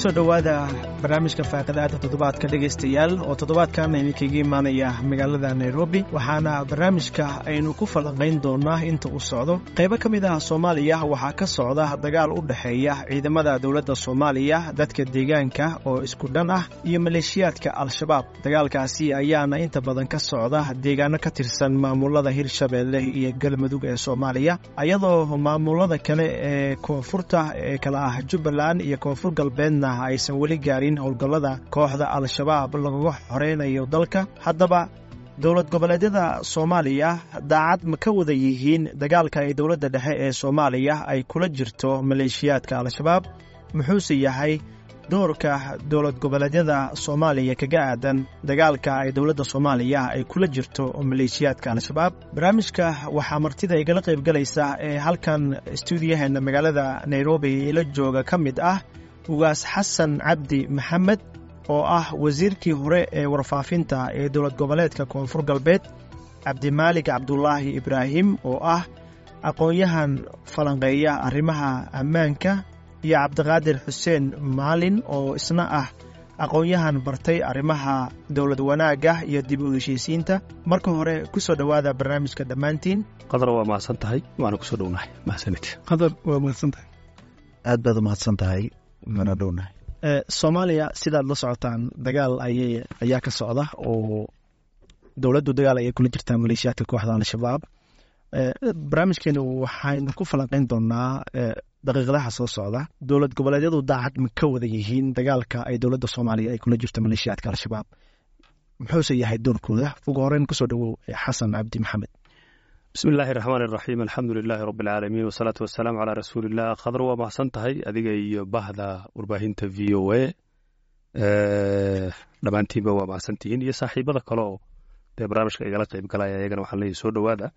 Kusoo dhowaada barnaamijka faaqidaada toddobaadka, dhegaystayaal, oo toddobaadkan idinkaga imaanaya magaalada Nairobi. Waxaana barnaamijka aynu ku falanqayn doonaa inta uu socdo qaybo ka mid ah Soomaaliya waxaa ka socda dagaal u dhexeeya ciidamada dowladda Soomaaliya, dadka deegaanka oo isku dhan ah iyo maleeshiyaadka Al-Shabaab. Dagaalkaasi ayaana inta badan ka socda deegaano ka tirsan maamulada Hirshabeelle iyo Galmudug ee Soomaaliya, iyadoo maamulada kale ee koonfurta ee kala ah Jubbaland iyo Koonfur Galbeedna aysan weli gaarin howlgallada kooxda Al-Shabaab lagaga xoreynayo dalka. Haddaba, dowlad goboleedyada Soomaaliya daacad ma ka wada yihiin dagaalka ay dowladda dhexe ee Soomaaliya ay kula jirto maleeshiyaadka Al-Shabaab? Muxuuse yahay doorka dowlad goboleedyada Soomaaliya kaga aadan dagaalka ay dowladda Soomaaliya ay kula jirto maleeshiyaadka Al-Shabaab? Barnaamijka waxaa martida igala qaybgalaysa ee halkan stuudiyaheena magaalada Nairobi ila jooga ka mid ah Ugaas Xasan Cabdi Maxamed, oo ah wasiirkii hore ee warfaafinta ee dowlad goboleedka Koonfur Galbeed, Cabdimaalig Cabdulaahi Ibraahim, oo ah aqoon-yahan falanqeeya arrimaha ammaanka, iyo Cabdiqaadir Xuseen Maalin, oo isna ah aqoon-yahan bartay arrimaha dowlad wanaagga iyo dib u heshiisiinta. Marka hore, ku soo dhowaada barnaamijka dhammaantiin. Qadar, waa mahadsan tahay, waana kusoo dhownahay, mahadsanid. Qadar, waa mahadsan tahay. Aad baad u mahadsan tahay, waana dhownahay. Soomaaliya, sidaad la socotaan, dagaal ayay ayaa ka socda oo dowladdu dagaal ayay kula jirtaa maleeshiyaadka kooxda Al-Shabaab. Barnaamijkeenu waxaynu ku falanqeyn doonaa daqiiqadaha soo socda dowlad goboleedyadu daacad ma ka wada yihiin dagaalka ay dowladda Soomaaliya ay kula jirto maleeshiyaadka Al-Shabaab, muxuuse yahay doorkooda? Ugu horeyn, kusoo dhowow Xasan Cabdi Maxamed. Bismi illaahi raxmaan iraxiim, alxamdu lilaahi rabbi alcaalamiin, wasalaatu wasalaamu calaa rasuuliillah. Khadar, waa mahadsan tahay adiga iyo bahda warbaahinta VOA, dhammaantiinba waa mahadsantihiin, iyo saaxiibada kale oo dee barnaamijka igala qayb galaya, iyagana waxaan leeyahy soo dhowaada.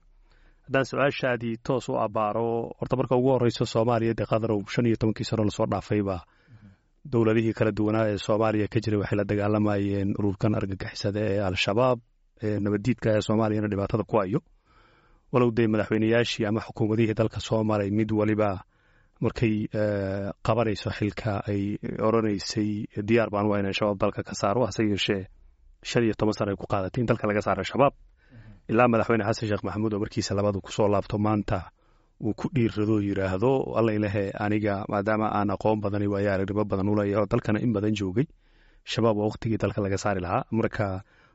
Haddaan su-aashaadii toos u abaaro, horta marka ugu horeyso, Soomaaliya dee, Khadarow, 15kii sano lasoo dhaafayba dowladihii kala duwanaa ee Soomaaliya ka jiray waxay la dagaalamayeen ururkan argagixisada ee Al-Shabaab ee nabaddiidka ee Soomaaliyana dhibaatada ku hayo, walow dee madaxweyneyaashii ama xukuumadihii dalka soo maray mid waliba markay qabanayso xilka ay odrhanaysay "Diyaar baan waa inaan Shabaab dalka ka saaro." Hase yeeshee 15 sano ay ku qaadatay in dalka laga saaro Shabaab, ilaa madaxweyne Xasan Sheekh Maxamuud oo markiisa labadu kusoo laabto maanta uu ku dhiirrado, yidhaahdo, "Alla ilahe, aniga maadaama aan aqoon badani, waayo aragnimo badan u leeyahay oo dalkana in badan joogay, Shabaab waa waqtigii dalka laga saari lahaa." Marka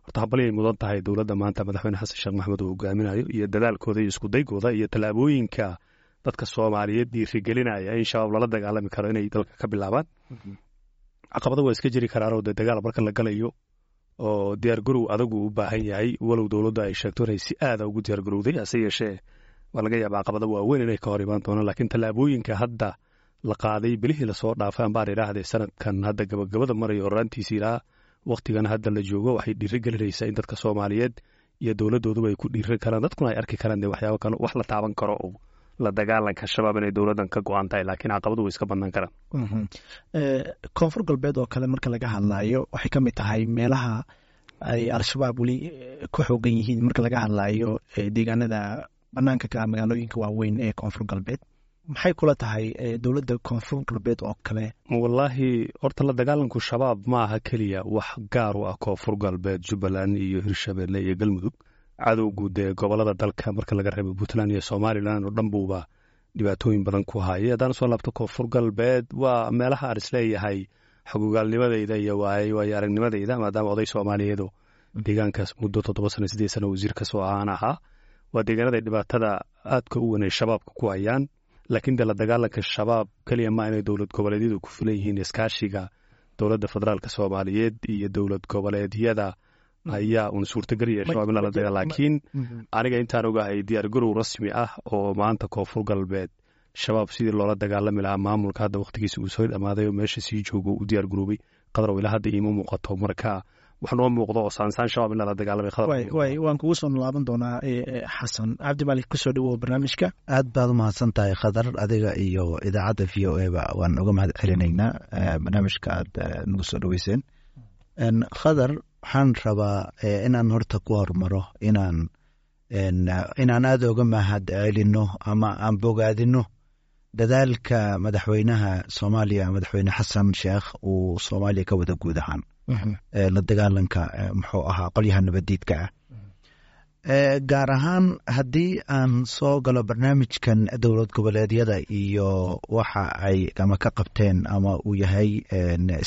horta hambalyay mudan tahay dowladda maanta madaxweyne Xasan Sheekh Maxamuud uu hogaaminayo iyo dadaalkooda iyo iskudaygooda iyo tallaabooyinka dadka Soomaaliyeed dhiirigelinaya in Shabaab lala dagaalami karo inay dalka ka bilaabaan. Caqabado waa iska jiri karaanoo dee dagaal marka la galayo oo diyaargarow adagu u baahan yahay, walow dowladda ay sheegto inay si aada ugu diyaargarowday. Hase yeeshee waa laga yaaba caqabado waaweyn inay ka hor imaan doonaan, laakiin tallaabooyinka hadda la qaaday bilihii lasoo dhaafay, ambaan idhaahdee sanadkan hadda gabagabada marayo horraantiisa ilaa wakhtigan hadda la joogo, waxay dhiiri gelinaysaa in dadka Soomaaliyeed iyo dowladdooduba ay ku dhiiran karaan, dadkuna ay arki karaan dee waxyaabo kale, wax la taaban karo oo la dagaalanka Shabaab inay dowladdan ka go-an tahay, laakiin caqabadu way iska badnaan karaan. Koonfur Galbeed oo kale marka laga hadlayo, waxay ka mid tahay meelaha ay Al-Shabaab weli ku xoogan yihiin marka laga hadlayo deegaanada banaanka ka ah magaalooyinka waaweyn ee Koonfur Galbeed. Maxay kula tahay dowladda Koonfur Galbeed oo kale? Wallaahi, horta la dagaalanku Shabaab ma aha keliya wax gaar u ah Koonfur Galbeed, Jubbaland iyo Hirshabeelle iyo Galmudug. Cadowgu dee gobolada dalka, marka laga reebo Puntland iyo Somaliland oo dhan, buuba dhibaatooyin badan ku haya. Haddaan soo laabto Koonfur Galbeed, waa meelaha aan isleeyahay xogogaalnimadayda iyo waayo aragnimadayda, maadaama oday Soomaaliyeedo deegaankaas muddo 7 sano, 8 sano wasiir kasoo ahaan ahaa, waa deegaanada dhibaatada aadka u weyn ay Shabaabka ku hayaan. Laakiin dee la dagaalanka Shabaab keliya maa inay dowlad goboleedyadu ku filan yihiin. Iskaashiga dowladda federaalka Soomaaliyeed iyo dowlad goboleedyada ayaa uun suurtagelaya Shabaab in lala dagaal. Laakiin aniga intaan ogahay, diyaar garow rasmi ah oo maanta Koonfur Galbeed Shabaab sidii loola dagaalami lahaa maamulka hadda wakhtigiisa uu soo dhamaaday oo meesha sii joogo u diyaar garoobay, Qadrow, ilaa hadda iima muuqato. Marka wax noo muuqdo oo saansaan Shabaab in lala dagaalamay, Khadar. Way waan kugu soo laaban doonaa. Xasan Cabdimalik, kusoo dhawow barnaamijka. Aad baad u mahadsan tahay, Khadar, adiga iyo idaacadda VOA ba waan uga mahad celinaynaa barnaamijka aad nagu soo dhaweyseen. Khadar, waxaan rabaa inaan horta ku hormaro inaan aada uga mahad celino ama aan bogaadino. Dadaalka madaxweynaha Soomaaliya, Madaxweyne Xasan Sheekh, uu Soomaaliya ka wada guud ahaan la dagaalanka muxuu ahaa qolyaha nabadiidka ah. Gaar ahaan haddii aan soo galo barnaamijkan dowlad goboleedyada iyo waxa ay ama ka qabteen ama uu yahay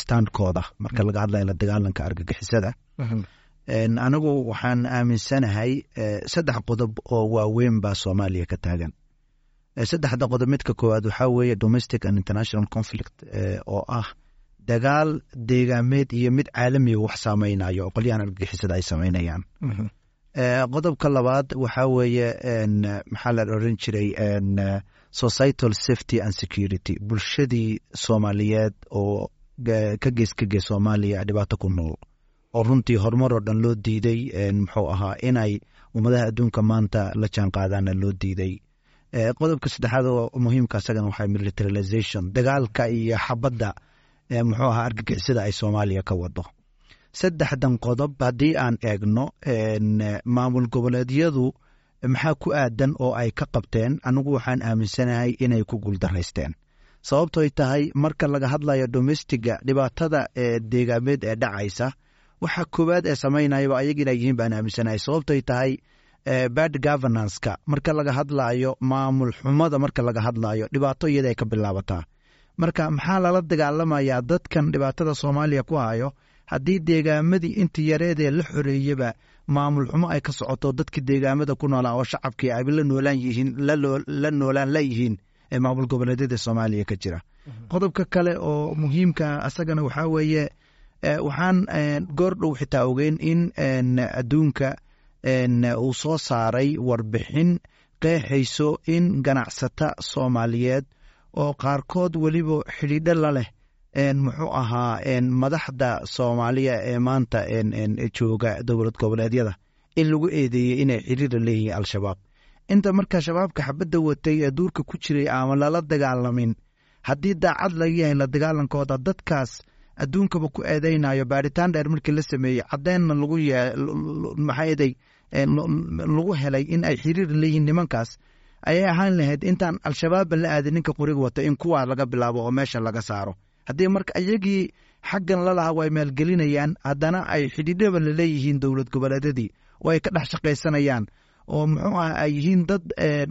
standkooda marka laga hadlayo la dagaalanka argagixisada, anigu waxaan aaminsanahay saddex qodob oo waaweyn baa Soomaaliya ka taagan. Saddexda qodob, midka koowaad waxaa weeye domestic and international conflict, oo ah dagaal deegaameed iyo mid caalamiga wax saameynayo oo qolyahan argagixisada ay sameynayaan. Qodobka labaad waxaa weeye, maxaa la oran jiray, societal safety and security, bulshadii Soomaaliyeed oo ka gees ka gees Soomaaliya dhibaato ku nool oo runtii horumar oo dhan loo diiday, muxuu ahaa, inay ummadaha adduunka maanta la jaan qaadaana loo diiday. Qodobka saddexaad oo muhiimka isagana waxaa militarization, dagaalka iyo xabadda muxuu ahaa argagixisada ay Soomaaliya ka wado. Saddexdan qodob haddii aan eegno, maamul goboleedyadu maxaa ku aadan oo ay ka qabteen? Anigu waxaan aaminsanahay inay ku guuldaraysteen, sababtoy tahay marka laga hadlayo domesticga, dhibaatada deegaameed ee dhacaysa, waxa koowaad ee samaynayaba ayaga inay yihiin baan aaminsanahay, sababtoy tahay bad governanceka marka laga hadlayo, maamul xumada marka laga hadlayo, dhibaato iyada ay ka bilaabataa. Marka maxaa lala dagaalamayaa dadkan dhibaatada Soomaaliya ku hayo haddii deegaamadii intii yareedee la xoreeyeba maamul xumo ay ka socoto, dadkii deegaamada ku noolaa oo shacabkii ay la noolaan yihiin, la noolaan la yihiin ee maamul goboleedyada Soomaaliya ka jira? Qodobka kale oo muhiimka asagana waxaa weeye, waxaan goor dhow xitaa ogeyn in adduunka uu soo saaray warbixin qeexayso in ganacsata Soomaaliyeed oo qaarkood weliba xidhiidho la leh muxuu ahaa madaxda Soomaaliya ee maanta jooga dowlad goboleedyada in lagu eedeeyey inay xiriira leeyihiin Al-Shabaab. Inta marka Shabaabka xabadda watay ee duurka ku jiray ama lala dagaalamin, haddii daacad laga yahay la dagaalankooda, dadkaas adduunkaba ku eedeynayo, baaritaan dheer markii la sameeyey caddeenna lagu maxaaday lagu helay in ay xiriir leeyihiin nimankaas, ayay ahaan lahayd intaan Al-Shabaabba la aadin ninka qoriga wata in kuwaa laga bilaabo oo meesha laga saaro. Haddii marka iyagii xaggan lalahaa way maalgelinayaan, haddana ay xidhiidhaba laleeyihiin dowlad goboleedyadii oo ay ka dhex shaqaysanayaan oo muxuu ah ay yihiin dad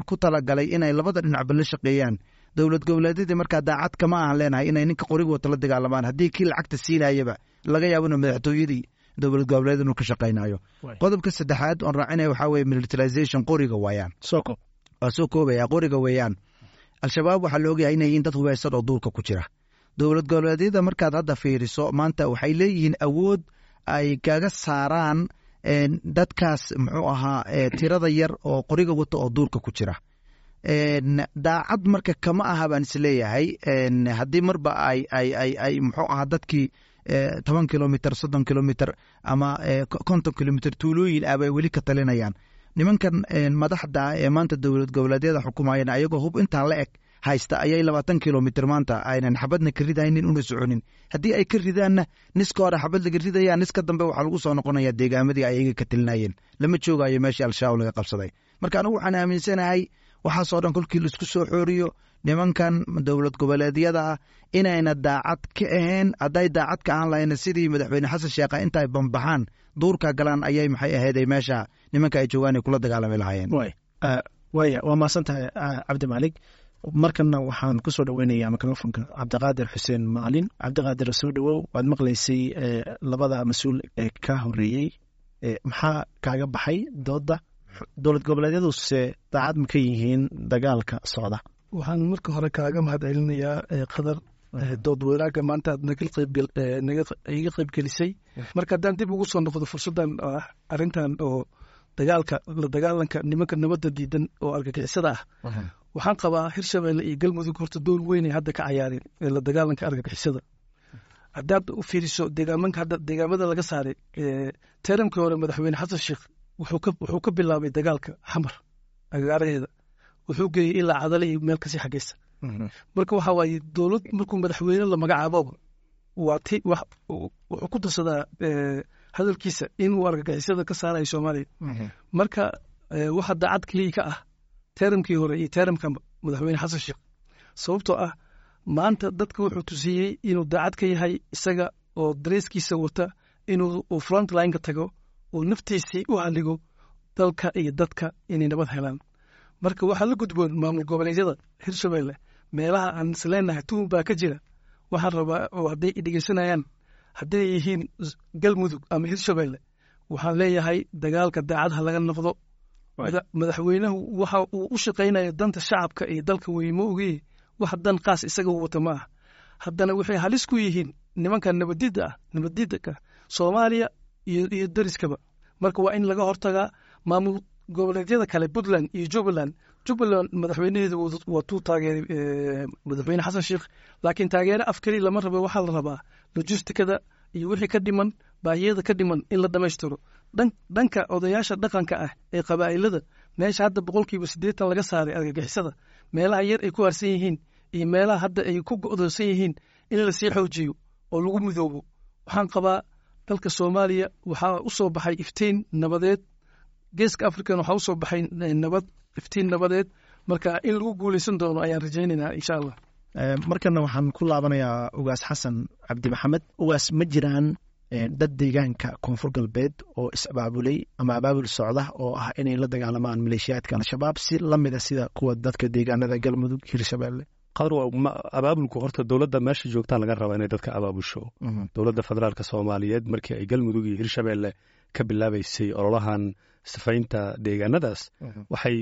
ku talagalay inay labada dhinacba la shaqeeyaan dowlad goboleedyadii, markaa daacad kama ahan leenahay inay ninka qoriga wata la dagaalamaan haddii kii lacagta siinayaba laga yaabo inuu madaxtooyadii dowlad goboleed inuu ka shaqaynayo. Qodobka saddexaad oon raacinaya waxaa weye militarization, qoriga waayaan. Waa soo koobaya. Qoriga weeyaan. Al-Shabaab waxaa la ogyahay inay yihiin dad hubeysan oo duurka ku jira. Dowlad goboleedyada markaad hadda fiiriso maanta waxay leeyihiin awood ay kaga saaraan dadkaas muxuu ahaa tirada yar oo qoriga wata oo duurka ku jira. Daacad marka kama aha baan isleeyahay haddii marba ay muxuu ahaa dadkii 10 kilomitr, 30 kilomitr ama 50 kilomitr tuulooyin ah bay weli ka talinayaan. Nimankan madaxda ee maanta dowlad goboleedyada xukumayeen, ayagoo hub intaan la eg haysta, ayay 20 kilomitr maanta aynan xabadna ka ridaynin una soconin. Haddii ay ka ridaanna, niska hore xabad laga ridaya, niska dambe waxaa lagu soo noqonaya deegaamadii ay iyaga ka talinayeen, lama joogayo meeshii Al-Shabaab laga qabsaday. Marka anigu waxaan aaminsanahay waxaasoo dhan kolkii laisku soo xooriyo, nimankan dowlad goboleedyada ah inayna daacad ka ahayn. Hadday daacad ka ahaan lahayna, sidii Madaxweyne Xasan Sheekha intaay bambaxaan duurka galaan ayay maxay ahayd meesha nimanka ay joogaan ay kula dagaalami lahaayeen. Waaya, waa mahadsan tahay, Cabdi Maalig. Markanna waxaan kusoo dhaweynayaa microfonka Cabdiqaadir Xuseen Maalin. Cabdiqaadir, soo dhawow. Waad maqlaysay labada mas-uul ee ka horeeyey. Maxaa kaaga baxay dooda? Dowlad goboleedyaduse daacad ma ka yihiin dagaalka socda? Waxaan marka hore kaaga mahad celinayaa, Qadar, dood wadaagga maanta aad naga iga qaybgelisay. Marka haddaan dib ugu soo noqdo fursaddan ah arrintan oo dagaalka, la dagaalanka nimanka nabadda diidan oo argagixisada ah, waxaan qabaa Hirshabelle iyo Galmudug horta door weyn ay hadda ka cayaareen la dagaalanka argagixisada. Haddaad u fiiriso deegaamanka hadda deegaamada laga saaray, termkii hore Madaxweyne Xasan Sheekh wuxuu ka bilaabay dagaalka Xamar agagaaraheeda, wuxuu geeyey ilaa Cadale iyo meel kasii xageysa. Marka waxa waaye, dowlad markuu madaxweyne la magacaaboba waa ti wuxuu ku darsadaa hadalkiisa inuu argagixisada ka saarayo Soomaaliya. Marka waxa daacad keliya ka ah termkii hore iyo termka Madaxweyne Xasan Sheekh. Sababtoo ah maanta dadka wuxuu tusiyey inuu daacad ka yahay, isaga oo dareeskiisa wata inuu frontline-ka tago oo naftiisii u haligo dalka iyo dadka inay nabad helaan. Marka waxaa la gudboon maamul goboleedyada Hirshabelle, meelaha aan isleenahay tuhun baa ka jira, waxaan rabaa oo hadday dhegeysanayaan, hadday yihiin Galmudug ama Hirshabelle, waxaan leeyahay dagaalka daacad ha laga noqdo. Madaxweynuhu waxa uu u shaqaynaya danta shacabka iyo dalka wey, ma ogiye wax dan qaas isaga wata ma ah. Haddana waxay halis ku yihiin nimanka nabadida ah, nabadidaka Soomaaliya iyo dariskaba. Marka waa in laga hortagaa. Maamul goboleedyada kale, Puntland iyo Jubbaland, Jubbaland madaxweynaheedu waa tuu taageeray madaxweyne Xasan Sheikh, laakiin taageere af keli lama rabo. Waxaa la rabaa logistikada iyo wixii ka dhiman, baahiyada ka dhiman in la dhammaystiro. Dhanka odayaasha dhaqanka ah ee qabaa'ilada, meesha hadda 80% laga saaray argagixisada, meelaha yar ay ku harsan yihiin iyo meelaha hadda ay ku go'doonsan yihiin in lasii xoojiyo oo lagu midoobo. Waxaan qabaa dalka Soomaaliya waxaa u soo baxay iftiin nabadeed, Geeska African waxaa usoo baxay nabad, iftiin nabadeed. Marka in lagu guuleysan doono ayaan rajaynaynaa, insha Allah. Markana waxaan ku laabanayaa Ugaas Xasan Cabdi Maxamed. Ugaas, ma jiraan dad deegaanka Koonfur Galbeed oo is-abaabulay ama abaabul socda oo ah inay la dagaalamaan maleeshiyaadka Al-Shabaab si lamida sida kuwa dadka deegaanada Galmudug, Hirshabelle? Qadar, abaabulku horta dowladda meesha joogtaa laga rabaa inay dadka abaabusho. Dowladda federaalka Soomaaliyeed markii ay Galmudug iyo Hirshabelle ka bilaabaysay ololahan sifaynta deegaanadaas, waxay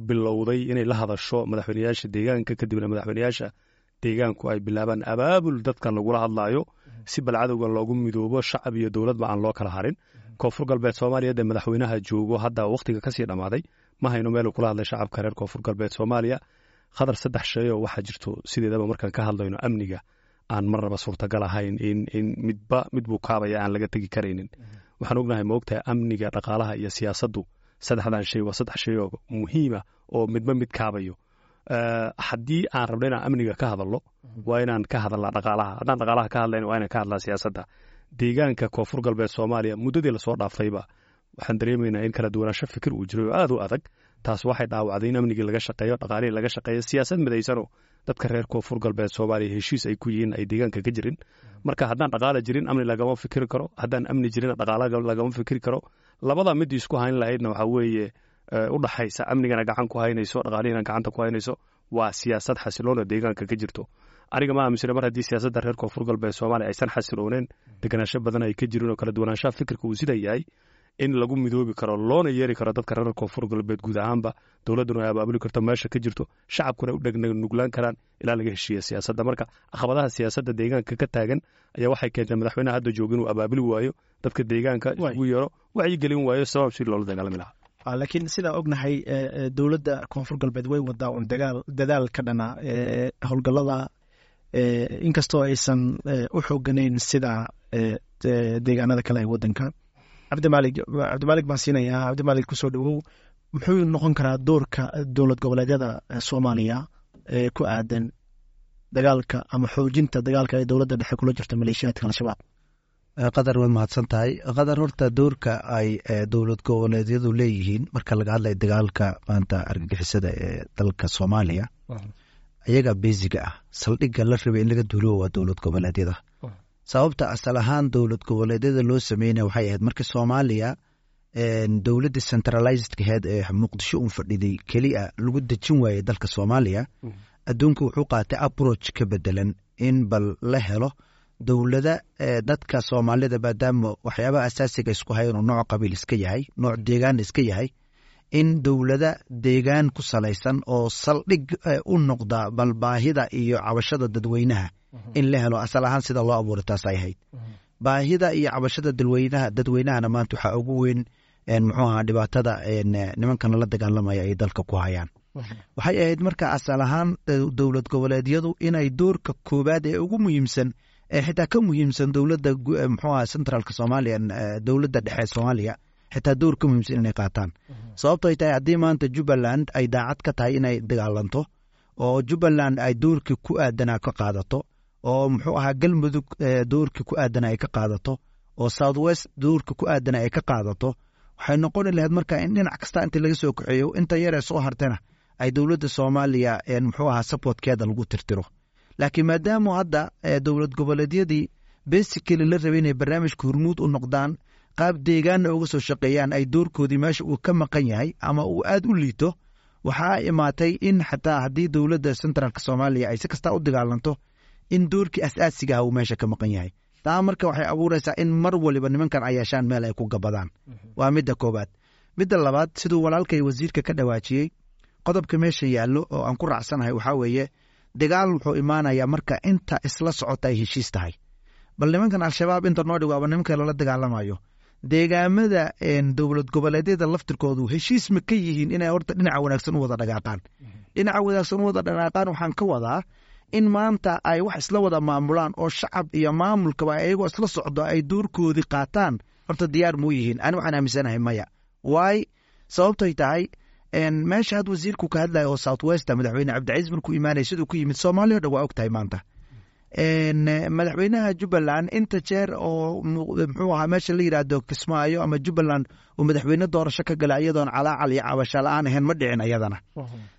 bilowday inay la hadasho madaxweyneyaasha deegaanka, kadibna madaxweyneyaasha deegaanku ay bilaabaan abaabul dadkan lagula hadlaayo si balcadowga loogu midoobo, shacab iyo dowladba aan loo kala harin. Koonfur Galbeed Soomaaliya dee madaxweynaha joogo hadda wakhtiga kasii dhammaaday, ma hayno meeluu kula hadlay shacabka reer Koonfur Galbeed Soomaaliya. Khadar, saddex shay oo waxaa jirto sideedaba markaan ka hadlayno amniga aan marnaba suurtagal ahayn in midba mid buu kaabaya aan laga tegi karaynin. Waxaan ognahay, ma ogtahay, amniga, dhaqaalaha iyo siyaasaddu, saddexdan shay waa saddex shay oo muhiima oo midba mid kaabayo. Haddii aan rabno inaan amniga ka hadalno, waa inaan ka hadalnaa dhaqaalaha. Haddaan dhaqaalaha ka hadlayna, waa inaan ka hadlaa siyaasadda. Deegaanka Koonfur Galbeed Soomaaliya muddadii lasoo dhaafayba waxaan dareemaynaa in kala duwanaansho fikir uu jiray oo aad u adag. Taas waxay dhaawacday in amnigii laga shaqeeyo, dhaqaalihii laga shaqeeyo, siyaasad midaysanoo dadka reer Koonfur Galbeed Soomaaliya heshiis ay ku yihiin ay deegaanka ka jirin. Marka haddaan dhaqaala jirin, amni lagama fikiri karo. Haddaan amni jirin, dhaqaala lagama fikiri karo. Labada midii isku hayn lahaydna waxaa weeye u dhaxaysa amnigana gacan ku haynayso, dhaqaalihina gacanta ku haynayso, waa siyaasad xasiloon oo deegaanka ka jirto. Aniga ma aaminsana mar haddii siyaasadda reer Koonfur Galbeed Soomaaliya aysan xasilooneen, deganaansho badan ay ka jirin oo kala duwanaanshaha fikirka uu sida yahay, in lagu midoobi karo loona yeeri karo dadka reer Koonfur Galbeed guud ahaanba, dowladduna ay abaabuli karto meesha ka jirto, shacabkuna u dhegnuglaan karaan ilaa laga heshiiya siyaasadda. Marka caqabadaha siyaasadda deegaanka ka taagan ayaa waxay keentay madaxweynaha hadda jooga inuu abaabuli waayo dadka deegaanka, isugu yeero, wacyigelin waayo sabab si loola dagaalami lahaa. Laakiin sidaa ognahay, dowladda Koonfur Galbeed way wadaa un dagaal, dadaal ka dhana howlgallada, inkastoo aysan u xooganayn sida deegaanada kale ee waddanka. Cabdimalig, Cabdimalig baan siinayaa. Cabdimalig, kusoo dhawow. Muxuu noqon karaa doorka dowlad goboleedyada Soomaaliya ee ku aadan dagaalka ama xoojinta dagaalka ay dowladda dhexe kula jirto maleeshiyaadka Al-Shabaab? Qadar, waad mahadsan tahay. Qadar, horta doorka ay dowlad goboleedyadu leeyihiin marka laga hadlayo dagaalka maanta argagixisada ee dalka Soomaaliya, ayaga basiga ah, saldhigga la rabay in laga duulo waa dowlad goboleedyada. Sababta asal ahaan dowlad goboleedyada loo sameynaya waxay ahayd markii Soomaaliya dowladda centralized aheyd ee Muqdisho un fadhiday keliya lagu dejin waayey dalka Soomaaliya, adduunka wuxuu qaatay approach ka bedelan in bal la helo dowlada dadka Soomaalida, maadaama waxyaabaha asaasiga isku hayan oo nooc qabiil iska yahay, nooc deegaan iska yahay, in dowlada deegaan ku salaysan oo saldhig u noqda bal baahida iyo cabashada dadweynaha in la helo. Asal ahaan sida loo abuuray taas ay ahayd. Baahida iyo cabashada dadweynaha dadweynahana maanta waxaa ugu weyn, muxuu ahaa, dhibaatada nimankan la dagaalamaya ay dalka ku hayaan. Waxay ahayd marka asal ahaan dowlad goboleedyadu inay doorka koowaad ee ugu muhiimsan, ee xitaa ka muhiimsan dowladda, muxuu ahaa, centralka Soomaaliya, dowladda dhexe Soomaaliya, xitaa door ka muhiimsan inay qaataan. Sababto ay tahay, haddii maanta Jubbaland ay daacad ka tahay inay dagaalanto oo Jubbaland ay doorkii ku aadanaa ka qaadato, oo muxuu ahaa, Galmudug doorkii ku aadana ay ka qaadato, oo South West doorkii ku aadana ay ka qaadato, waxay noqoni lahayd marka in dhinac kasta inta laga soo kaxeeyo, inta yaree soo hartana ay dowladda Soomaaliya muxuu ahaa supportkeeda lagu tirtiro. Laakiin maadaama hadda dowlad goboleedyadii basically la rabay inay barnaamijka hormuud u noqdaan, qaab deegaanna uga soo shaqeeyaan, ay doorkoodii meesha uu ka maqan yahay ama uu aad u liito, waxaa imaatay in xataa haddii dowladda centraalka Soomaaliya ay si kastaa u dagaalanto, in doorkii asaasiga ah uu meesha ka maqan yahay. Taa marka waxay abuuraysaa in mar waliba nimankan ay yeeshaan meel ay ku gabadaan. Waa midda koowaad. Midda labaad, siduu walaalkay wasiirka ka dhawaajiyey, qodobka meesha yaallo oo aan ku raacsanahay waxaa weeye, dagaal wuxuu imaanayaa marka inta isla socota ay heshiis tahay. Bal nimankan Al-Shabaab inta noo dhigo aba nimanka lala dagaalamayo, deegaamada dowlad goboleedyada laftirkoodu heshiis ma ka yihiin inay horta dhinaca wanaagsan u wada dhaqaaqaan? Dhinaca wanaagsan u wada dhaqaaqaan waxaan ka wadaa in maanta ay wax isla wada maamulaan oo shacab iyo maamulkaba ayagoo isla socdo ay doorkoodii qaataan. Horta diyaar muu yihiin? Ani waxaan aaminsanahay maya. Waay sababtoy tahay, meesha had wasiirku ka hadlaya oo South West, madaxweyne Cabdicasiis markuu imaanaya siduu ku yimid, Soomaaliya o dhan waa og tahay. Maanta madaxweynaha Jubbaland inta jeer oo muxuu ahaa meesha la yidhaahdo Kismaayo ama Jubbaland uu madaxweyne doorasho ka gala iyadoon calaacal iyo cabasho la-aan ahayn ma dhicin ayadana.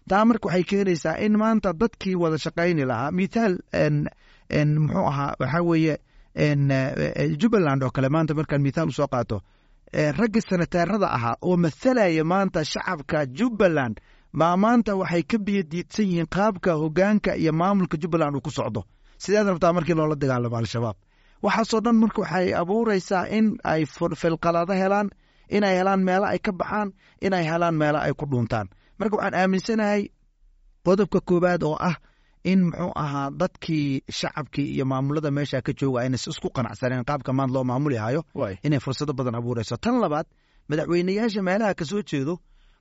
Taa marka waxay keenaysaa in maanta dadkii wada shaqayni lahaa, mithaal muxuu ahaa, waxaa weeye Jubbaland oo kale maanta markaan mithaal usoo qaato, ragga senateerada ahaa oo mathalaya maanta shacabka Jubbaland baa maanta waxay ka biyadiidsan yihiin qaabka hogaanka iyo maamulka Jubbaland uu ku socdo. Sideed rabtaa markii loola dagaalamo Al-Shabaab? Waxaasoo dhan marka waxay abuureysaa in ay filqalado helaan, inay helaan meelo ay ka baxaan, inay helaan meelo ay ku dhuuntaan. Marka waxaan aaminsanahay qodobka koowaad oo ah in muxuu ahaa dadkii shacabkii iyo maamulada meesha ka jooga ayna isku qanacsaneen qaabka maanta loo maamuli hayo, inay fursado badan abuureyso. Tan labaad, madaxweyneyaasha meelaha kasoo jeedo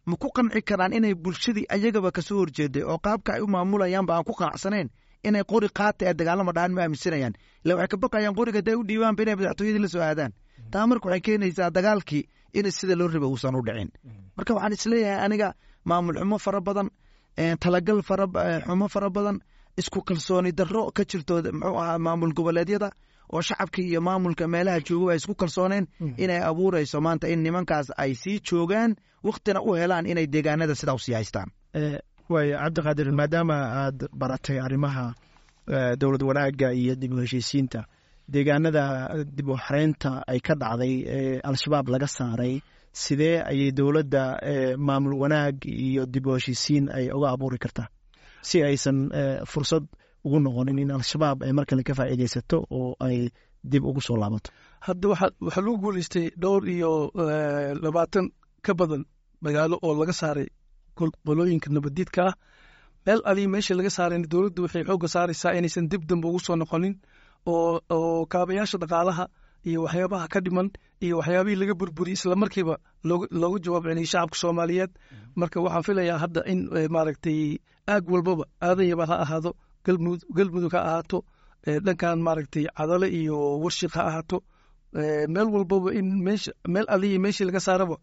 ma ku qanci karaan inay bulshadii ayagaba kasoo horjeeday oo qaabka ay u maamulayaanba aan ku qanacsanayn inay qori qaata ee dagaalama dhahan? Ma aaminsanayaan ila waxay ka baqayaan qoriga haday u dhiibaanba inay madaxtooyadii la soo aadaan. Taa marka waxay keenaysaa dagaalkii in sida loo rabay uusan u dhicin. Marka waxaan isleeyahay aniga, maamul xumo fara badan, talagal faraxumo fara badan, isku kalsooni darro ka jirto muxuu ahaa maamul goboleedyada oo shacabkii iyo maamulka meelaha jooga ay isku kalsooneen, inay abuureyso maanta in nimankaas ay sii joogaan, waktina u helaan inay deegaanada sidaa usii haystaan. Waaya Cabdiqaadir, maadaama aad baratay arrimaha dowlad wanaagga iyo dib u heshiisiinta, deegaanada dib u xareynta ay ka dhacday ee Al-Shabaab laga saaray, sidee ayay dowladda maamul wanaag iyo dib u heshiisiin ay uga abuuri kartaa si aysan fursad ugu noqonin in Al-Shabaab ay mar kale ka faa'iideysato oo ay dib ugu soo laabato? Hadda waxaa lagu guuleystay dhowr iyo 20 ka badan magaalo oo laga saaray qolooyinka nabadiidka ah. Meel alii meesha laga saarayna dowladdu waxay xoogga saaraysaa inaysan dib dambe ugu soo noqonin, oo kaabayaasha dhaqaalaha iyo waxyaabaha ka dhiman iyo waxyaabihii laga burburiyey isla markiiba looga jawaab celiyey shacabka Soomaaliyeed. Marka waxaan filayaa hadda in maaragtay aag walbaba, Aadan Yabaal ha ahaado, Galmudug ha ahaato, dhankan maaragtay Cadale iyo Warshiq ha ahaato, meel walbaba in meesha meel alihii meeshii laga saaraba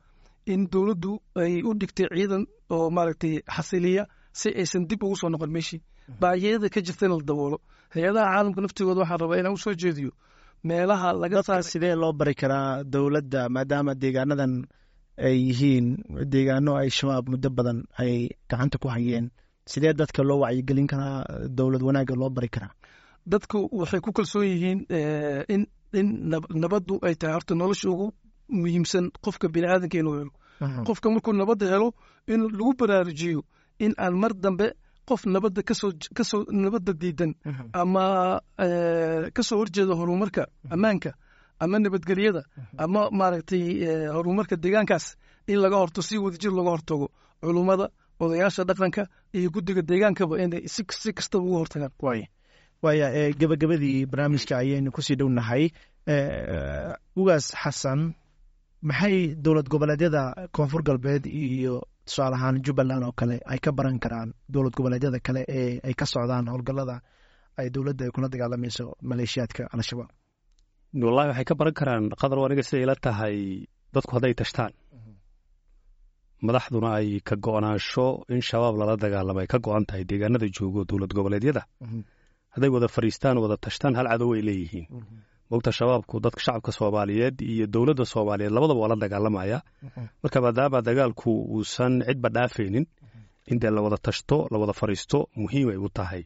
in dowladdu ay u dhigtay ciidan oo maaragtay xasiliya si aysan dib ugu soo noqon meeshii, baahiyada ka jirtana la daboolo. Hay-adaha caalamka naftigooda waxaan rabaa inaan usoo jeediyo meelaha laga Dadka sidee loo bari karaa dowladda, maadaama deegaanadan ay yihiin deegaano ay Shabaab muddo badan ay gacanta ku hayeen? Sidee dadka loo wacyigelin karaa, dowlad wanaagga loo bari karaa? Dadku waxay ku kalsoon yihiin in nabaddu ay tahay horta nolosha ugu muhiimsan qofka biniaadanka inuu helo. Qofka markuu nabadda helo, in lagu baraarujiyo in aan mar dambe qof nabadda kasoo nabadda diidan ama kasoo horjeeda horumarka ammaanka ama nabadgelyada ama maaragtay horumarka deegaankaas in laga horto, si wadajir looga hortago, culummada, odayaasha dhaqanka iyo guddiga deegaankaba inay si kastaba uga hortagaan. Waaya, gabagabadii barnaamijka ayaynu kusii dhownahay. Ugaas Xasan, maxay dowlad goboleedyada Koonfur Galbeed iyo tusaale ahaan Jubbaland oo kale ay ka baran karaan dowlad goboleedyada kale ee ay ka socdaan howlgallada ay dowladda ay kula dagaalamayso maleeshiyaadka Al-Shabaab? Wallahi waxay ka baran karaan, Qadar, aniga siday ila tahay, dadku hadday tashtaan, madaxduna ay ka go'naansho in Shabaab lala dagaalamo ay ka go'an tahay, deegaanada joogo dowlad goboleedyada hadday wada fariistaan, wada tashtaan, hal cadow ay leeyihiin. Mogta Shabaabku dadka shacabka Soomaaliyeed iyo dowladda Soomaaliyeed labadaba waa la dagaalamaya. Marka maadaama dagaalku uusan cidba dhaafaynin, In dee la wada tashto, la wada fariisto muhiimay u tahay.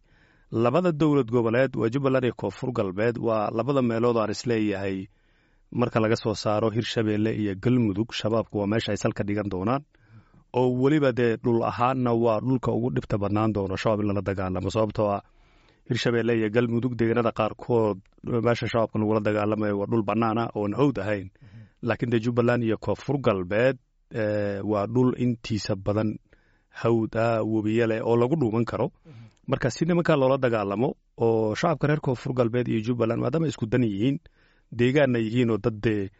Labada dowlad goboleed waa Jubbaland iyo Koonfur Galbeed, waa labada meelood aan isleeyahay marka laga soo saaro Hirshabeelle iyo Galmudug, Shabaabku waa meesha ay salka dhigan doonaan, oo weliba dee dhul ahaanna waa dhulka ugu dhibta badnaan doono Shabaab in lala dagaalamo, sababtoo ah Hirshabeelle iyo Galmudug deegaanada qaarkood meesha Shabaabka lagula dagaalamayo waa dhul bannaan ah oon hawd ahayn, laakiin dee Jubbaland iyo Koonfur Galbeed waa dhul intiisa badan hawd ah, webiye leh oo lagu dhuuman karo. Marka si nimankaa loola dagaalamo oo shacabka reer Koonfur Galbeed iyo Jubbaland, maadaama isku dan yihiin, deegaanna yihiin, oo dad dee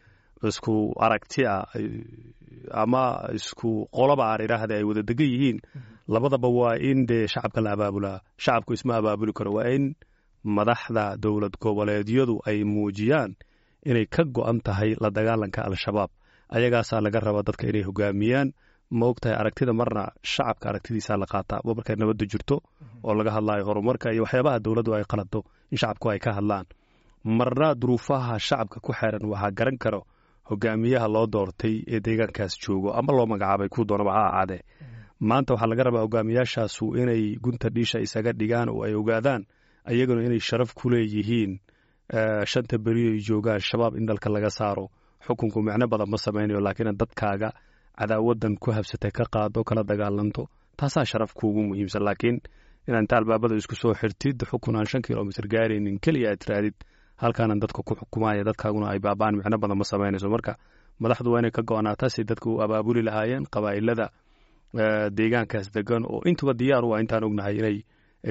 isku aragti ah ama isku qoloba aan idhaahda ay wada degan yihiin labadaba, waa in dee shacabka la abaabulaa. Shacabku isma abaabuli karo, waa in madaxda dowlad goboleedyadu ay muujiyaan inay ka go'an tahay la dagaalanka Al-Shabaab. Ayagaasaa laga rabaa dadka inay hogaamiyaan. Ma og tahay, aragtida marna shacabka aragtidiisaa la qaataa waa markay nabaddu jirto oo laga hadlaayo horumarka iyo waxyaabaha dowladdu ay qalado in shacabku ay ka hadlaan. Marna duruufaha shacabka ku xeeran waxaa garan karo hogaamiyaha loo doortay ee deegaankaas joogo ama loo magacaabay, kuu doonaba ha ahaadee. Maanta waxaa laga rabaa hogaamiyaashaasu inay gunta dhiisha isaga dhigaan oo ay ogaadaan ayaguna inay sharaf ku leeyihiin shanta beri ay joogaan Shabaab in dalka laga saaro. Xukunku micno badan ma samaynayo, laakiin dadkaaga cadaawadan ku habsatay ka qaado, kala dagaalanto, taasaa sharaf kuugu muhiimsan. Laakiin inaad inta albaabada isku soo xirtid, xukun aan 5 kilomitr gaaraynin keliya aad tiraadid halkaanan dadka ku xukumaya, dadkaaguna ay baabaan, micno badan ma samaynayso. Marka madaxdu waa inay ka go'naataa si dadka u abaabuli lahaayeen qabaa'ilada deegaankaas degan, oo intuba diyaar u ah, intaan ognahay, inay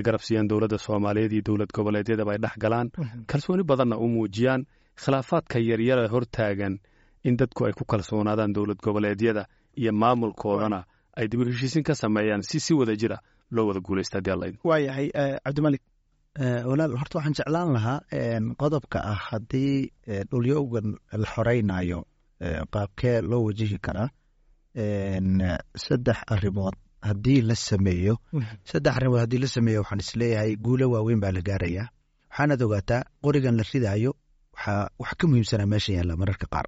garab siiyaan dowladda Soomaaliyeed iyo dowlad goboleedyadaba, ay dhex galaan, kalsooni badanna u muujiyaan. Khilaafaadka yaryara hortaagan in dadku ay ku kalsoonaadaan dowlad goboleedyada iyo maamulkoodana ay dib u heshiisin ka sameeyaan si si wada jira loo wada guulaysta, haddii Alla idmo. Waayahay, Cabdimalik. Walaal, horta waxaan jeclaan lahaa qodobka ah haddii dhulyowgan la xoreynayo qaabkee loo wajihi karaa. Saddex arrimood haddii la sameeyo, saddex arrimood haddii la sameeyo, waxaan isleeyahay guulo waaweyn baa la gaarayaa. Waxaanaad ogaataa qorigan la ridaayo waxaa wax ka muhiimsanaa meesha yaalla mararka qaar.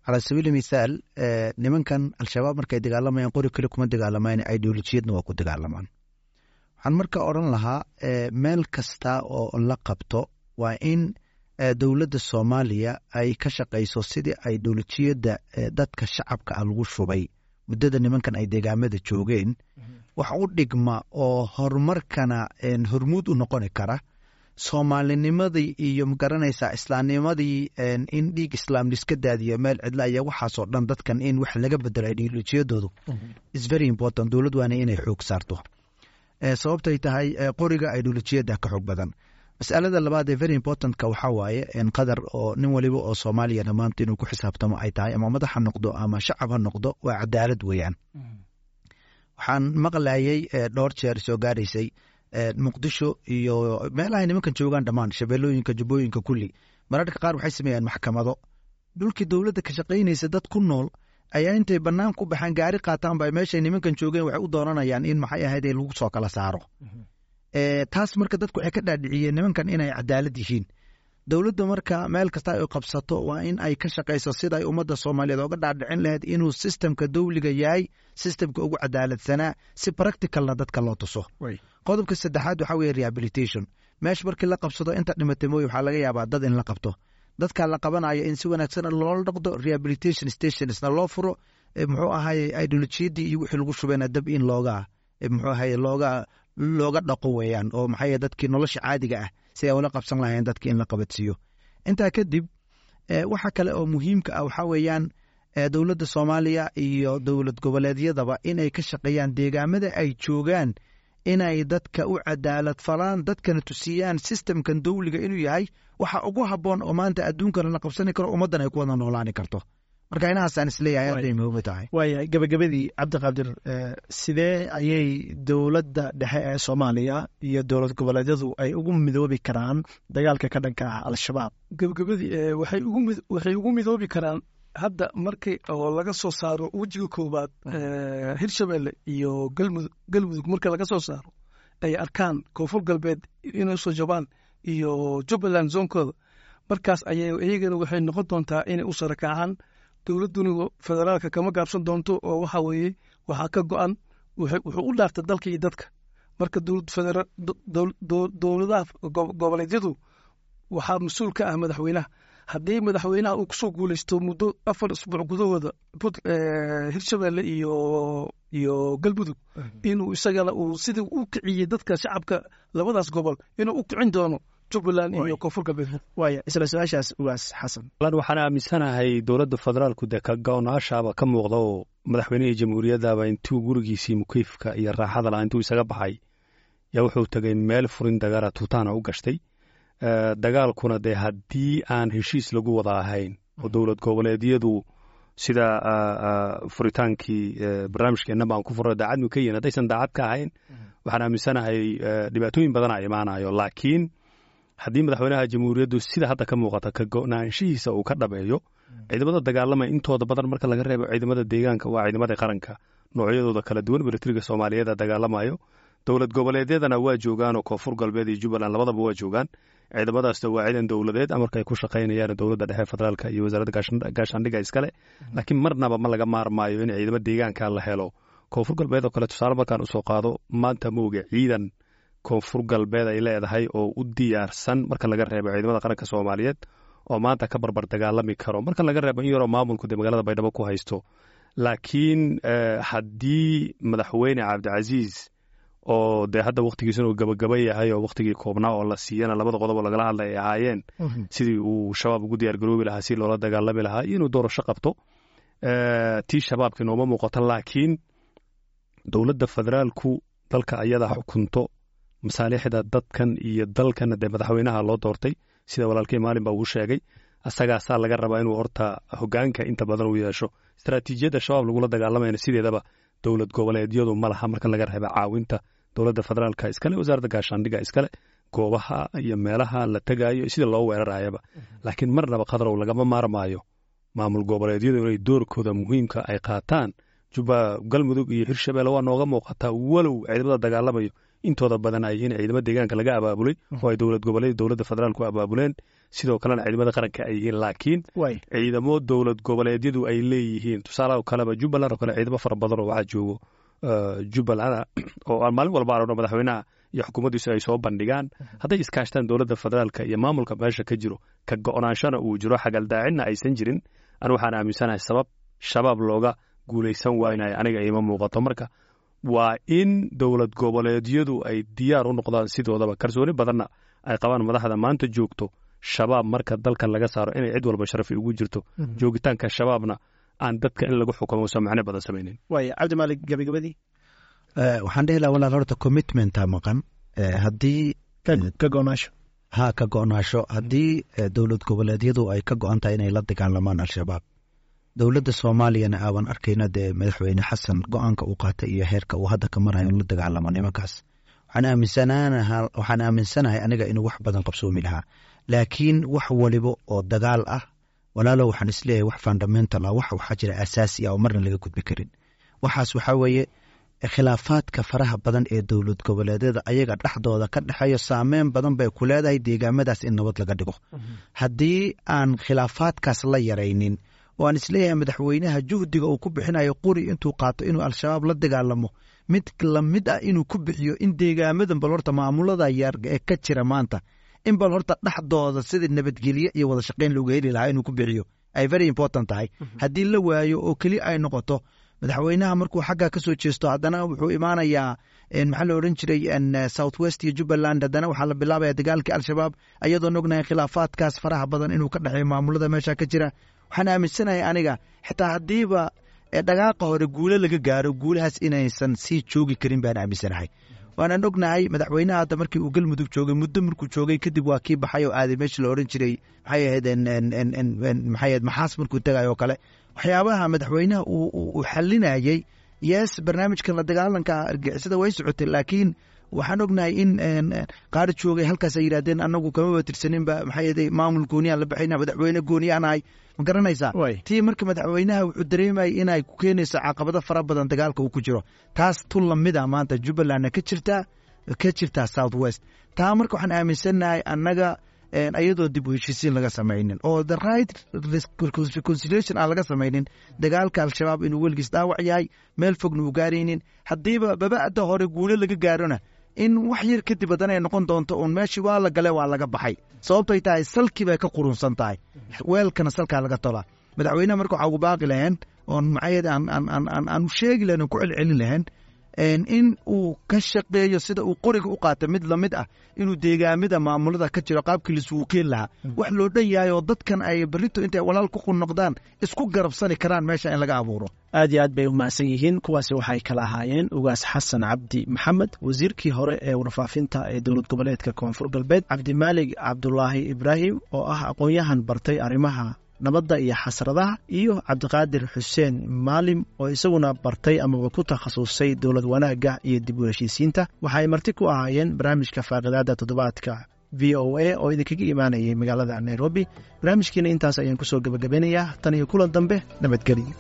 Cala sabiili mithaal, nimankan Al-Shabaab markay dagaalamayaan qori kale kuma dagaalamaan, ideolojiyadna waa ku dagaalamaan. Waxaan marka odhan lahaa meel kasta oo la qabto waa in dowladda Soomaaliya ay ka shaqayso sidii ideolojiyadda dadka shacabka ah lagu shubay muddada nimankan ay deegaamada joogeen wax u dhigma oo horumarkana hormuud u noqoni kara, Soomaalinimadii iyo magaranaysaa islaamnimadii, in dhiig islaam liska daadiyo meel cidla iyo waxaasoo dhan, dadkan in wax laga bedelo ideolojiyadoodu is very important. Dowlad waana inay xoog saarto, sababtay tahay qoriga ideolojiyadda ka xoog badan. Masalada labaad ee very importantka waxaa waaye qadar oo nin waliba oo Soomaaliyana maanta inuu ku xisaabtamo ay tahay, ama madax ha noqdo ama shacab ha noqdo, waa cadaalad weeyaan. Waxaan maqlayay dhowr jeer soo gaaraysay Muqdisho iyo meelahay nimankan joogaan dhammaan, Shabeellooyinka, Jubbooyinka, kulli, mararka qaar waxay sameeyaan maxkamado. Dhulkii dowladda ka shaqaynaysa dad ku nool ayaa intay bannaan ku baxaan, gaari qaataan, ba meeshay nimankan joogeen waxay u doonanayaan in maxay ahayd ee lagu soo kala saaro. Taas marka dadku waxay ka dhaadhiciyeen nimankan inay cadaalad yihiin. Dowladda marka meel kasta ay qabsato waa in ay ka shaqayso sida ay ummadda Soomaaliyeed oga dhaadhicin lahayd inuu systemka dowliga yahay systemka ugu cadaaladsanaa, si practicalna dadka loo tuso. Qodobka saddexaad waxaa weeye rehabilitation. Meesha markii la qabsado inta dhimatay mooye, waxaa laga yaabaa dad in la qabto. Dadka la qabanayo in si wanaagsan loola dhaqdo, rehabilitation stationsna loo furo, muxuu ahaye, ideolojiyadii iyo wixii lagu shubayna dab in looga muxuu ahaye looga dhaqo weeyaan, oo maxay dadkii nolosha caadiga ah si ay ula qabsan lahayn dadki in la qabadsiiyo. Intaa kadib waxa kale oo muhiimka ah waxaa weeyaan dowladda Soomaaliya iyo dowlad goboleedyadaba inay ka shaqeeyaan deegaamada ay joogaan inay dadka u cadaalad falaan, dadkana tusiyaan systemkan dowliga inuu yahay waxa ugu habboon oo maanta adduunkana la qabsani karo, ummaddan ay ku wada noolaani karto. Marka inahaasaan isleeyahay aad bay muhiim u tahay. Waayahay, gabagabadii, Cabdiqaadir, sidee ayay dowladda dhexe ee Soomaaliya iyo dowlad goboleedyadu ay ugu midoobi karaan dagaalka ka dhanka ah Al-Shabaab? Gabagabadii, waxay ugu midoobi karaan hadda markii oo laga soo saaro wejiga koowaad Hirshabelle iyo Galmudug, marka laga soo saaro ay arkaan Koonfur Galbeed inay usoo jabaan iyo Jubbaland zoonkooda, markaas ayay iyagana waxay noqon doontaa inay u sarakacaan. Dowladduna federaalka kama gaabsan doonto, oo waxa weeye waxaa ka go'an Wuxuu u dhaartay dalka iyo dadka. Marka dowladaha goboleedyadu waxaa mas-uul ka ah madaxweynaha. Haddii madaxweynaha uu kusoo guuleysto muddo 4 isbuuc gudahooda Hirshabelle iyo Galmudug, inuu isagana uu sidii u kiciyey dadka shacabka labadaas gobol inuu u kicin doono Jubbaland iyo Koonfur Galbeed. Waaya, isla su-aashaas, Ugaas Xasan. Waxaan aaminsanahay dowladda federaalku dee ka go-naashaaba ka muuqda, oo madaxweynihii jamhuuriyaddaba intuu gurigiisii mukeyfka iyo raaxada lahaa intuu isaga baxay yaa wuxuu tegay meel furin dagaala, tuutaana u gashtay. Dagaalkuna dee haddii aan heshiis lagu wada ahayn oo dowlad goboleedyadu sida furitaankii barnaamijkeenna baan ku furno daacad mu ka yihin, haddaysan daacad ka ahayn, waxaan aaminsanahay dhibaatooyin badana imaanayo. Laakiin haddii madaxweynaha jamhuuriyaddu sida hadda ka muuqata ka go-naanshihiisa uu ka dhabeeyo, ciidamada dagaalamaya intooda badan, marka laga reebo ciidamada deegaanka, waa ciidamada qaranka noocyadooda kala duwan, militariga Soomaaliyeed dagaalamayo. Dowlad goboleedyadana waa joogaan, oo Koonfur Galbeed iyo Jubbaland labadaba waa joogaan. Ciidamadaasna waa ciidan dowladeed, amarka ay ku shaqaynayaan dowladda dhexe federaalka iyo wasaaradda gaashaandhigga iskale. Laakiin marnaba ma laga maarmaayo in ciidamo deegaanka la helo. Koonfur Galbeed oo kale tusaale markaan usoo qaado, maanta mooga ciidan Koonfur Galbeed ay leedahay oo u diyaarsan, marka laga reebo ciidamada qaranka Soomaaliyeed, oo maanta ka barbar dagaalami karo, marka laga reebo in yaroo maamulku dee magaalada Baydhabo ku haysto. Laakiin haddii madaxweyne Cabdicasiis, oo dee hadda wakhtigiisuna uu gabagaba yahay, oo wakhtigii koobnaa oo la siiyana labada qodob oo lagala hadlay ay ahaayeen sidii uu Shabaab ugu diyaargaroobi lahaa, si loola dagaalami lahaa, iyo inuu doorasho qabto, tii Shabaabka nooma muuqato. Laakiin dowladda federaalku dalka ayadaa xukunto, masaalixda dadkan iyo dalkana dee madaxweynaha loo doortay. Sida walaalkay maalin baa uu sheegay, asagaasaa laga rabaa inuu horta hogaanka inta badan uu yeesho. Istaraatiijiyadda Shabaab lagula dagaalamayna sideedaba dowlad goboleedyadu ma laha, marka laga reeba caawinta dowladda federaalka iskale, wasaaradda gaashaandhigga iskale, goobaha iyo meelaha la tegaayo, sida loo weerarayaba. Laakiin marnaba, Khadrow, lagama maarmaayo maamul goboleedyadu inay doorkooda muhiimka ay qaataan. Juba, Galmudug iyo Hirshabelle waa nooga muuqataa, walow ciidamada dagaalamayo intooda badan ay in ciidamo deegaanka laga abaabulay oo ay dowlad goboleed dowladda federaalku abaabuleen, sidoo kalena ciidamada qaranka ay yihiin. Laakiin ciidamo dowlad goboleedyadu ay leeyihiin, tusaalaha oo kaleba Jubbaland oo kale, ciidamo fara badan oo waxaa joogo Jubbaland oo aan maalin walba aragno madaxweynaha iyo xukuumaddiisu ay soo bandhigaan. Hadday iskaashtaan dowladda federaalka iyo maamulka meesha ka jiro, ka go-naanshana uu jiro, xagaldaacinna aysan jirin, anu waxaan aaminsanahay sabab Shabaab looga guulaysan waaynayo aniga iima muuqato. Marka waa in dowlad goboleedyadu ay diyaar u noqdaan sidoodaba, kalsooni badanna ay qabaan madaxda maanta joogto, Shabaab marka dalka laga saaro inay cid walba sharafi ugu jirto. Joogitaanka Shabaabna aan dadka in lagu xukumo uusan macno badan samaynin. Waaya, Cabdimaalik, gabagabadii. Waxaan dhihi lahaa, walaal, horta commitmenta maqan. Haddii ka go-naasho. Ha, ka go-naasho. Haddii dowlad goboleedyadu ay ka go-an tahay inay la dagaalamaan Al-Shabaab, dowladda Soomaaliyana aaban arkayna dee madaxweyne Xasan go-aanka uu qaatay iyo heerka uu hadda ka marayo in la dagaalamo nimankaas, waxaan aaminsanahay aniga inuu wax badan qabsoomi lahaa. Laakiin wax waliba oo dagaal ah, walaalo, waxaan isleeyahay wax fundamental ah, wax waxaa jira asaasi ah oo marna laga gudbi karin. Waxaas waxaa weeye khilaafaadka faraha badan ee dowlad goboleedyada ayaga dhexdooda ka dhexeeyo. Saameyn badan bay ku leedahay deegaamadaas in nabad laga dhigo haddii aan khilaafaadkaas la yaraynin, oo aan isleeyahay madaxweynaha juhdiga uu ku bixinayo quri intuu qaato inuu Al-Shabaab la dagaalamo, mid lamid ah inuu ku bixiyo in deegaamadan bal horta maamulada yar ee ka jira maanta in bal horta dhexdooda sidii nabadgelye iyo wada shaqayn looga heli lahaa inuu ku bixiyo ay very important tahay. Haddii la waayo oo keli ay noqoto madaxweynaha markuu xagga ka soo jeesto, haddana wuxuu imaanayaa, maxaa la odhan jiray, South West iyo Jubbaland, haddana waxaa la bilaabaya dagaalkii Al-Shabaab, ayadoon ognahay khilaafaadkaas faraha badan inuu ka dhexeeyo maamulada meesha ka jira. Waxaan aaminsanahay aniga xitaa haddiiba dhagaaqa hore guulo laga gaaro, guulahaas inaysan sii joogi karin baan aaminsanahay. Waanaan ognahay madaxweynaha hadda markii uu Galmudug joogay, muddo markuu joogay kadib waa kii baxay oo aaday meeshii la odhan jiray, maxay ahayd, maxay ahayd, Maxaas markuu tagay oo kale, waxyaabaha madaxweynaha uu xalinayay. Yes, barnaamijkan la dagaalanka argixisada way socotay, laakiin waxaan ognahay in qaar joogay halkaas ay yidhahdeen anagu kamaba tirsaninba, maxay ahayd, maamul gooniyaan la baxayna, madaxweyne gooniyaan ahay. Ma garanaysaa? Tii marka madaxweynaha wuxuu dareemayay inay ku keenayso caqabado fara badan dagaalka uu ku jiro. Taas tu lamida maanta Jubbalandna ka jirtaa South West. Taa marka waxaan aaminsannahay annaga Ayadoo dib u heshiisiin laga samaynin oo the right reconciliation aan laga samaynin, dagaalka Al-Shabaab inuu weligiis dhaawac yahay, meel fogna uu gaaraynin. Haddiiba baba'da hore guulo laga gaarona, in wax yar kadib haddana ay noqon doonto uun meeshii waa la gale, waa laga baxay, sababtay tahay salkii bay ka qurunsan tahay, weelkana salkaa laga tolaa. Madaxweynaha marka waxaa ugu baaqi laheen oon maxay aan u sheegi lahayn oon ku celcelin lahayn in uu ka shaqeeyo sida uu qoriga u qaata mid lamid ah inuu deegaamida maamulada ka jiro qaabkii laisugu keeni lahaa, wax loo dhan yahay oo dadkan ay berrito intay walaal ku noqdaan isku garabsani karaan meesha in laga abuuro. Aad iyo aad bay u mahadsan yihiin. Kuwaasi waxay kala ahaayeen Ugaas Xasan Cabdi Maxamed, wasiirkii hore ee warfaafinta ee dowlad goboleedka Koonfur Galbeed, Cabdimaalig Cabdulaahi Ibraahim oo ah aqoon-yahan bartay arrimaha nabadda iyo xasradaha, iyo Cabdiqaadir Xuseen Maalim oo isaguna bartay amaba ku takhasusay dowlad wanaagga iyo dib u heshiisiinta. Waxaay marti ku ahaayeen barnaamijka faaqidaada toddobaadka VOA oo idinkaga imaanayay magaalada Nairobi. Barnaamijkiina intaas ayaan kusoo gebagabeynayaa. Tan iyo kulan dambe, nabadgelyo.